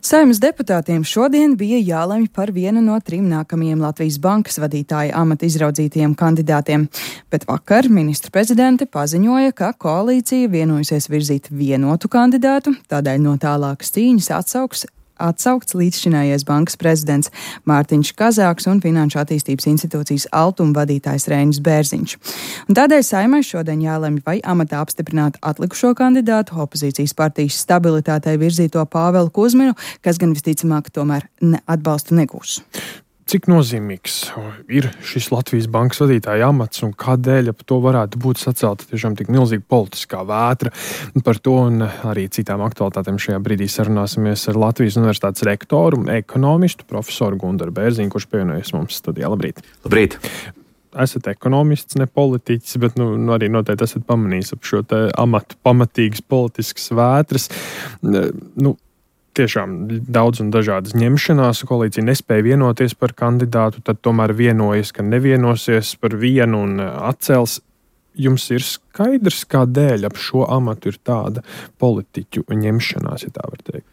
Saeimas deputātiem šodien bija jālemj par vienu no 3 nākamajiem Latvijas Bankas vadītāja amata izraudzītajiem kandidātiem, bet vakar ministru prezidente paziņoja, ka koalīcija vienojusies virzīt vienotu kandidātu, tādēļ no tālākas cīņas atsaukts līdzšinējais bankas prezidents Mārtiņš Kazāks un Finanšu attīstības institūcijas Altuma vadītājs Reinis Bērziņš. Un tādēļ Saeimai šodien jālemj, vai amatā apstiprināt atlikušo kandidātu, opozīcijas partijas stabilitātei virzīto Pāvelu Kuzminu, kas gan visticamāk tomēr atbalstu negūs. Cik nozīmīgs ir šis Latvijas bankas vadītāja amats un kādēļ ap to varētu būt sacelta tiešām tik milzīga politiskā vētra? Par to un arī citām aktualitātēm šajā brīdī sarunāsimies ar Latvijas Universitātes rektoru, ekonomistu, profesoru Gundaru Bērziņu, kurš pievienojas mums studijā. Labrīt! Labrīt! Esat ekonomists, ne politiķis, bet arī noteikti esat pamanījis ap šo te amatu pamatīgas politiskas vētras. Tiešām daudz un dažādas ņemšanās, koalīcija nespēja vienoties par kandidātu, tad tomēr vienojas, ka nevienosies par vienu un atcels. Jums ir skaidrs, kādēļ ap šo amatu ir tāda politiķu ņemšanās, ja tā var teikt?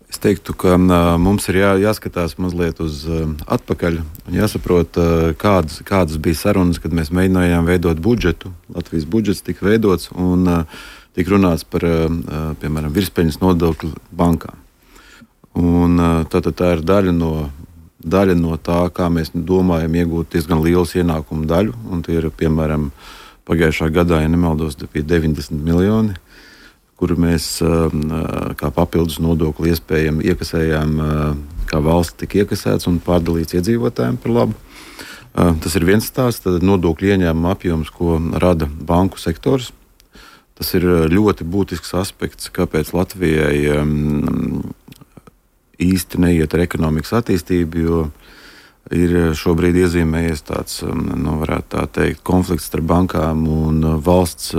Es teiktu, ka mums ir jāskatās mazliet uz atpakaļ un jāsaprot, kādas bija sarunas, kad mēs mēģinājām veidot budžetu. Latvijas budžets tika veidots un tika runāts par, piemēram, virspeļņas nodokli bankām. Un tā ir daļa no tā, kā mēs domājam iegūt diezgan liels ienākumu daļu. Un tie ir, piemēram, pagājušā gadā, ja nemaldos, bija 90 miljoni, kuru mēs kā papildus nodokli iespējami iekasējām, kā valsts tika iekasēts un pārdalīts iedzīvotājiem par labu. Tas ir viens stāsts, tad nodokļu ieņēmuma apjoms, ko rada banku sektors. Tas ir ļoti būtisks aspekts, kāpēc Latvijai īsti neiet ar ekonomikas attīstību, jo ir šobrīd iezīmējies tāds, varētu tā teikt, konflikts starp bankām un valsts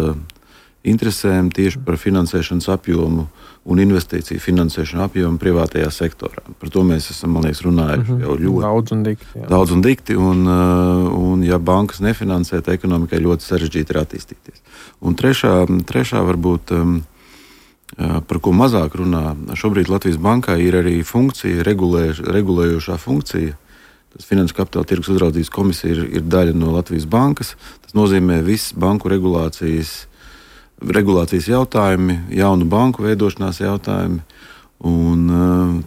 interesēm tieši par finansēšanas apjomu un investīciju finansēšanu apjomu privātajā sektorā. Par to mēs esam, man liekas, runājuši jau ļoti daudz un dikti. Un ja bankas nefinansē, tad ekonomikai ļoti sarežģīti ir attīstīties. Un trešā varbūt, par ko mazāk runā, šobrīd Latvijas bankai ir arī funkcija, regulējošā funkcija. Tas Finanšu kapitāla tirgus uzraudzības komisija ir daļa no Latvijas bankas. Tas nozīmē visas banku regulācijas jautājumi, jaunu banku veidošanās jautājumi. Un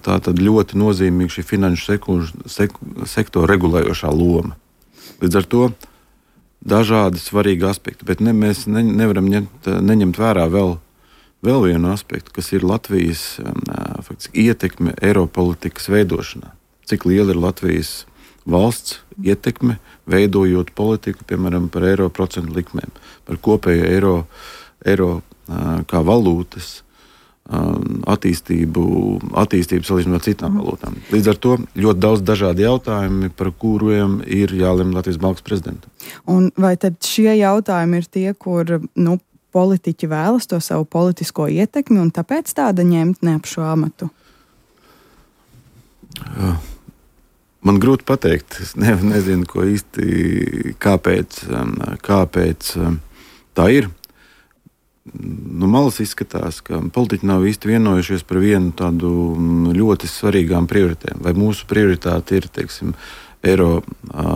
tā tad ļoti nozīmīga šī finanšu sektora regulējošā loma. Līdz ar to dažādi svarīgi aspekti, bet mēs nevaram neņemt vērā vēl vienu aspektu, kas ir Latvijas ietekme Eiropolitikas veidošanā. Cik liela ir Latvijas valsts ietekme, veidojot politiku, piemēram, par eiro procentu likmēm, par kopēju eiro kā valūtas attīstību salīdzinot ar citām valūtām. Līdz ar to ļoti daudz dažādi jautājumi, par kuriem ir jālemj Latvijas bankas prezidentam. Un vai tad šie jautājumi ir tie, kur politiķi vēlas to savu politisko ietekmi un tāpēc tāda ņemt ne ap šo amatu? Man grūti pateikt. Es nezinu, ko īsti, kāpēc tā ir. No malas izskatās, ka politiķi nav īsti vienojušies par vienu tādu ļoti svarīgām prioritēm. Vai mūsu prioritāte ir, teiksim, eiro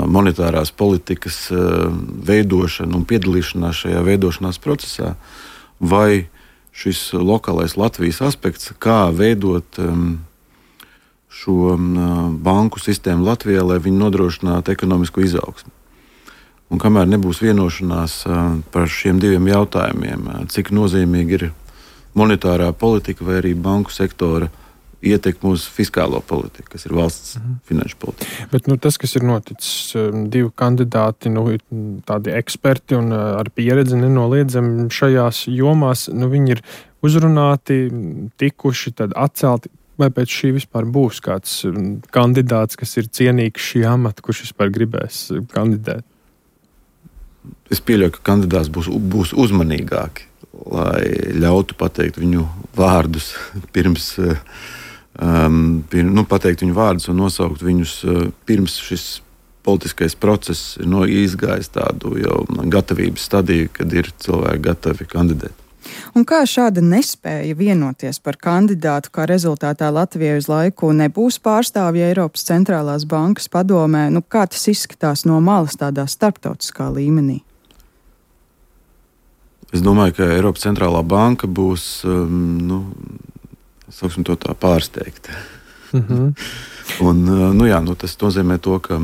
monetārās politikas veidošana un piedalīšanās šajā veidošanās procesā, vai šis lokālais Latvijas aspekts, kā veidot šo banku sistēmu Latvijā, lai viņi nodrošinātu ekonomisko izaugsmu. Un kamēr nebūs vienošanās par šiem diviem jautājumiem, cik nozīmīgi ir monetārā politika vai arī banku sektora ietekme uz fiskālo politiku, kas ir valsts finanšu politika. Bet tas, kas ir noticis, divi kandidāti, tādi eksperti un ar pieredzi nenoliedzami šajās jomās, viņi ir uzrunāti, tikuši, tad atcelti. Vai pēc šī vispār būs kāds kandidāts, kas ir cienīgs šī amata, kurš vispār gribēs kandidēt? Es pieļauju, ka kandidāts būs uzmanīgāki, lai ļautu pateikt viņu vārdus pirms, pateikt viņu vārdus un nosaukt viņus pirms šis politiskais process ir izgājis tādu jau gatavības stadiju, kad ir cilvēki gatavi kandidēt. Un kā šāda nespēja vienoties par kandidātu, kā rezultātā Latvijai uz laiku nebūs pārstāvja Eiropas centrālās bankas padomē, kā tas izskatās no malas tādā starptautiskā līmenī? Es domāju, ka Eiropas centrālā banka būs, sauksim to tā, pārsteigta. Un, tas nozīmē to, ka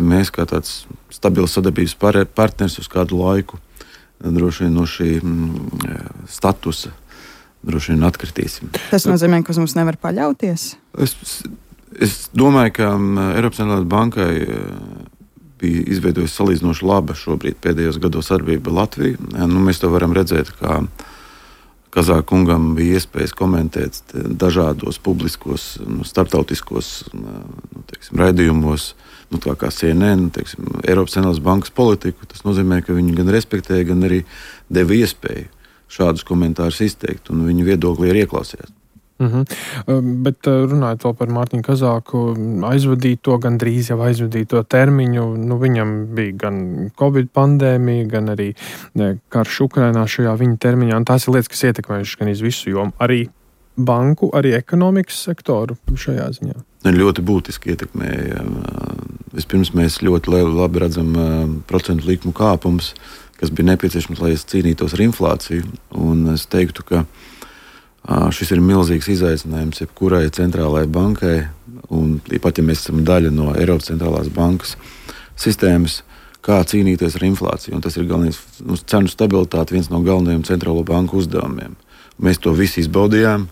mēs kā tāds stabils sadarbības partners uz kādu laiku droši vien no šī statusa droši vien atkritīsim. Tas nozīmē, ka uz mums nevar paļauties? Es domāju, ka Eiropas centrālajai bankai bija izveidojusi salīdzinoši laba šobrīd pēdējos gados sadarbība ar Latviju. Mēs to varam redzēt, kā Kazāka kungam bija iespējas komentēt dažādos publiskos, starptautiskos raidījumos, kā CNN, Eiropas centrālās bankas politiku. Tas nozīmē, ka viņi gan respektēja, gan arī deva iespēju šādus komentārus izteikt, un viņu viedoklī ir ieklausījās. Bet runājot vēl par Mārtiņu Kazāku, gandrīz jau aizvadīto termiņu, viņam bija gan Covid pandēmija, gan arī karš Ukrainā šajā viņa termiņā, un tās ir lietas, kas ietekmējušas gan iz visu jomu, arī banku, arī ekonomikas sektoru šajā ziņā. Ļoti būtiski ietekmēja. Vispirms mēs ļoti labi redzam procentu likmu kāpumus, kas bija nepieciešams, lai cīnītos ar inflāciju, un es teiktu, ka šis ir milzīgs izaicinājums jebkurai centrālajai bankai, un pat ja mēs esam daļa no Eiropas centrālās bankas sistēmas, kā cīnīties ar inflāciju. Un tas ir galvenais cenu stabilitāte, viens no galvenajiem centrālo banku uzdevumiem. Mēs to visu izbaudījām,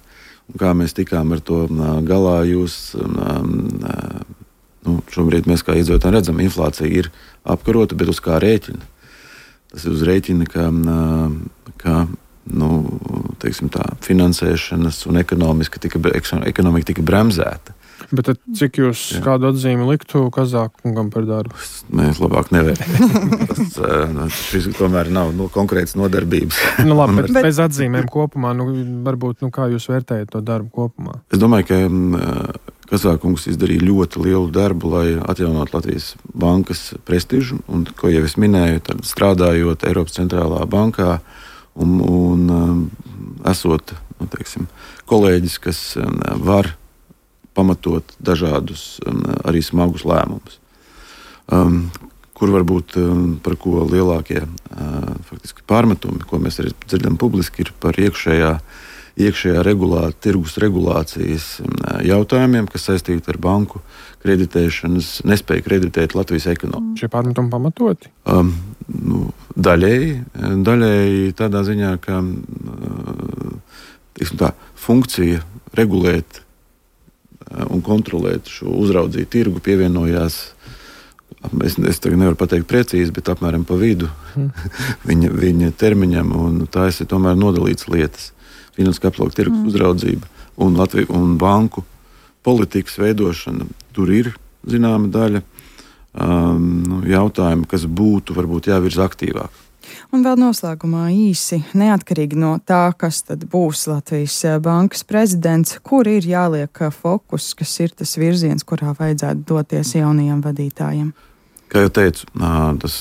un kā mēs tikām ar to galā, šobrīd mēs kā iedzīvotāji redzam, inflācija ir apkarota, bet uz kā rēķina? Tas ir uz rēķina, ka finansēšanas un ekonomika tika bremzēta. Bet tad, cik jūs kādu atzīmi liktu Kazākungam par darbu? Mēs labāk nevērtējam. Šis tomēr nav konkrēts nodarbības. Labi, bet bez atzīmēm kopumā, varbūt, kā jūs vērtējat to darbu kopumā? Es domāju, ka Kazākungs izdarīja ļoti lielu darbu, lai atjaunotu Latvijas bankas prestižu, un, ko jau es minēju, tad strādājot Eiropas centrālā bankā, un esot, kolēģis, kas var pamatot dažādus arī smagus lēmumus, kur varbūt par ko lielākie faktiski pārmetumi, ko mēs arī dzirdam publiski, ir par iekšējā tirgus regulācijas jautājumiem, kas saistīti ar banku kreditēšanas, nespēju kreditēt Latvijas ekonomiku. Šie pārmetumi pamatoti? Daļēji tādā ziņā, ka tā funkcija regulēt un kontrolēt šo uzraudzīt tirgu pievienojās, es tagad nevaru pateikt precīzi, bet apmēram pa vidu viņa termiņam, un tās ir tomēr nodalītas lietas. Finanses kapitāla tirgus uzraudzība un banku politikas veidošana. Tur ir zināma daļa jautājumu, kas būtu varbūt jāvirza aktīvāk. Un vēl noslēgumā īsi, neatkarīgi no tā, kas tad būs Latvijas bankas prezidents, kur ir jāliek fokus, kas ir tas virziens, kurā vajadzētu doties jaunajiem vadītājiem? Kā jau teicu, tas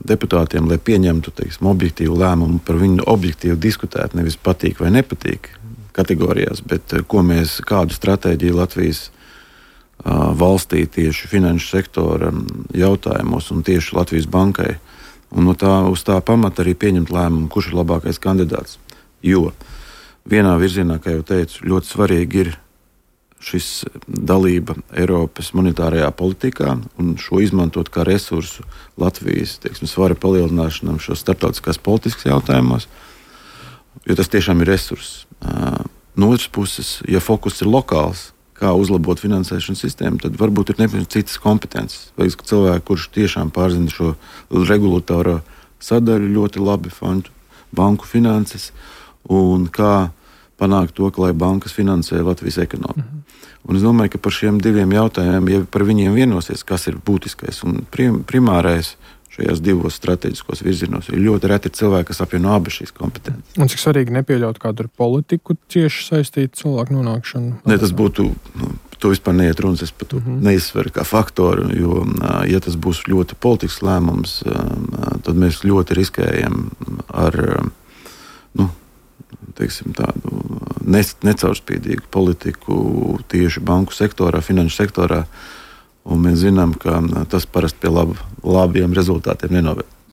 deputātiem, lai pieņemtu objektīvu lēmumu, par viņu objektīvi diskutēt, nevis patīk vai nepatīk kategorijās, bet kādu stratēģiju Latvijas valstī tieši finanšu sektora jautājumos un tieši Latvijas bankai. Un uz tā pamata arī pieņemt lēmumu, kurš ir labākais kandidāts. Jo vienā virzienā, kā jau teicu, ļoti svarīgi ir šis dalība Eiropas monetārajā politikā un šo izmantot kā resursu Latvijas svara palielināšanam šos starptautiskās politiskas jautājumos, jo tas tiešām ir resurss. No otras puses, ja fokus ir lokāls, kā uzlabot finansēšanas sistēmu, tad varbūt ir nepieciešams citas kompetences. Vai cilvēki, kurš tiešām pārzina šo regulatorā sadaļu ļoti labi, banku finanses, un kā panākt to, ka lai bankas finansē Latvijas ekonomiku. Un es domāju, ka par šiem diviem jautājumiem, ja par viņiem vienosies, kas ir būtiskais un primārais šajās divos strateģiskos virzienos, ir ļoti reti cilvēki, kas apvieno abas šīs kompetences. Un cik svarīgi nepieļaut kādu ar politiku cieši saistītu cilvēku nonākšanu? Ne, tas būtu to vispār neiet runas. Es par to neizsveru kā faktoru, jo, ja tas būs ļoti politisks lēmums, tad mēs ļoti riskējam ar tādu necaurspīdīgu politiku tieši banku sektorā, finanšu sektorā. Un mēs zinām, ka tas parasti pie labiem rezultātiem nenoved.